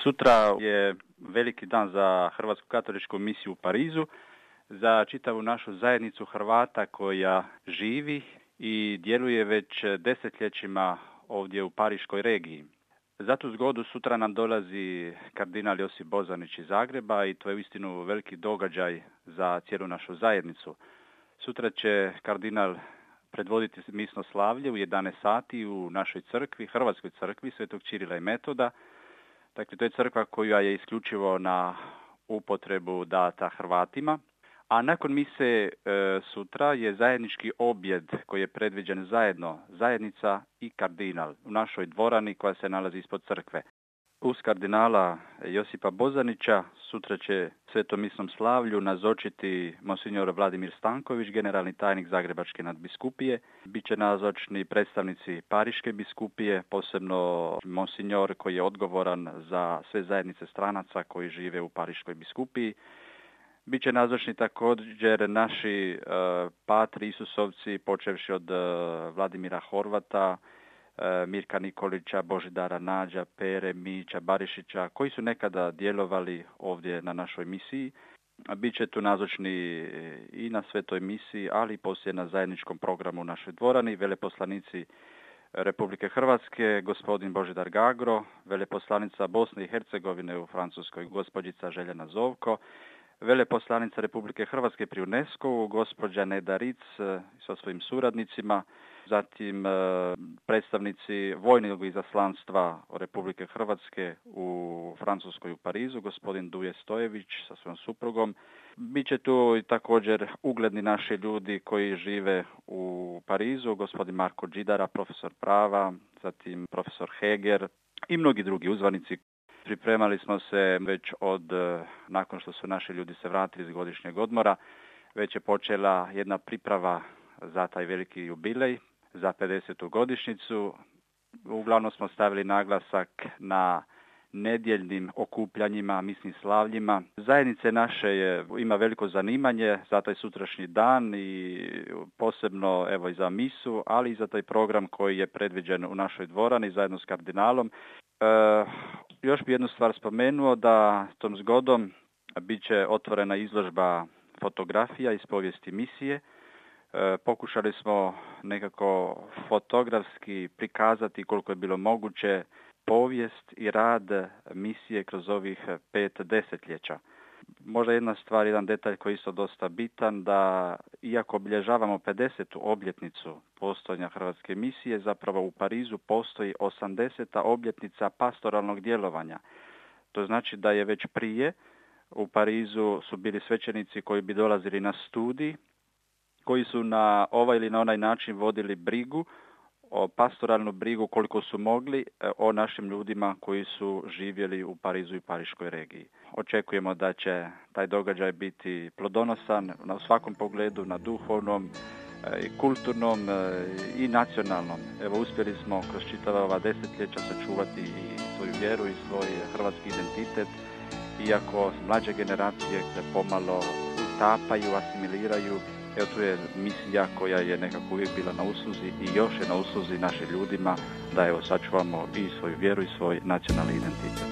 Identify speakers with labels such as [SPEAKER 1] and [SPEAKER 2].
[SPEAKER 1] Sutra je veliki dan za Hrvatsku katoličku misiju u Parizu, za čitavu našu zajednicu Hrvata koja živi i djeluje već desetljećima ovdje u Pariškoj regiji. Za tu zgodu sutra nam dolazi kardinal Josip Bozanić iz Zagreba i to je uistinu veliki događaj za cijelu našu zajednicu. Sutra će kardinal predvoditi misno slavlje u 11 sati u našoj crkvi, Hrvatskoj crkvi Svetog Čirila i Metoda. Dakle, to je crkva koja je isključivo na upotrebu data Hrvatima. A nakon mise sutra je zajednički objed koji je predviđen zajedno, zajednica i kardinal u našoj dvorani koja se nalazi ispod crkve. Uz kardinala Josipa Bozanića sutra će svetom misnom slavlju nazočiti monsignor Vladimir Stanković, generalni tajnik Zagrebačke nadbiskupije. Biće nazočni predstavnici Pariške biskupije, posebno monsignor koji je odgovoran za sve zajednice stranaca koji žive u Pariškoj biskupiji. Biće nazočni također naši patri Isusovci, počevši od Vladimira Horvata, Mirka Nikolića, Božidara Nađa, Pere, Mića, Barišića, koji su nekada djelovali ovdje na našoj misiji. Biće tu nazočni i na svetoj misiji, ali i poslije na zajedničkom programu u našoj dvorani, veleposlanici Republike Hrvatske, gospodin Božidar Gagro, veleposlanica Bosne i Hercegovine u Francuskoj, gospođica Željana Zovko, veleposlanica Republike Hrvatske pri UNESCO-u, gospođa Neda Ric sa svojim suradnicima, zatim predstavnici vojnog izaslanstva Republike Hrvatske u Francuskoj u Parizu, gospodin Duje Stojević sa svojom suprugom. Biće tu i također ugledni naši ljudi koji žive u Parizu, gospodin Marko Đidara, profesor prava, zatim profesor Heger i mnogi drugi uzvanici. Pripremali smo se već nakon što su naši ljudi se vratili iz godišnjeg odmora, već je počela jedna priprava za taj veliki jubilej, za 50. godišnjicu. Uglavnom smo stavili naglasak na nedjeljnim okupljanjima, misnim slavljima. Zajednice naše ima veliko zanimanje za taj sutrašnji dan i posebno i za misu, ali i za taj program koji je predviđen u našoj dvorani zajedno s kardinalom. Još bi jednu stvar spomenuo, da tom zgodom bit će otvorena izložba fotografija iz povijesti misije. Pokušali smo nekako fotografski prikazati koliko je bilo moguće povijest i rad misije kroz ovih 5 desetljeća. Možda jedna stvar, jedan detalj koji je isto dosta bitan, da iako obilježavamo 50. obljetnicu postojanja Hrvatske misije, zapravo u Parizu postoji 80. obljetnica pastoralnog djelovanja. To znači da je već prije u Parizu su bili svećenici koji bi dolazili na studij, koji su na ovaj ili na onaj način vodili brigu, pastoralnu brigu koliko su mogli o našim ljudima koji su živjeli u Parizu i Pariškoj regiji. Očekujemo da će taj događaj biti plodonosan na svakom pogledu, na duhovnom, i kulturnom i nacionalnom. Evo, uspjeli smo kroz čitava ova desetljeća sačuvati i svoju vjeru i svoj hrvatski identitet, iako mlađe generacije se pomalo utapaju, asimiliraju. Evo, tu je misija koja je nekako uvijek bila na usluzi i još je na usluzi našim ljudima da sačuvamo i svoju vjeru i svoj nacionalni identitet.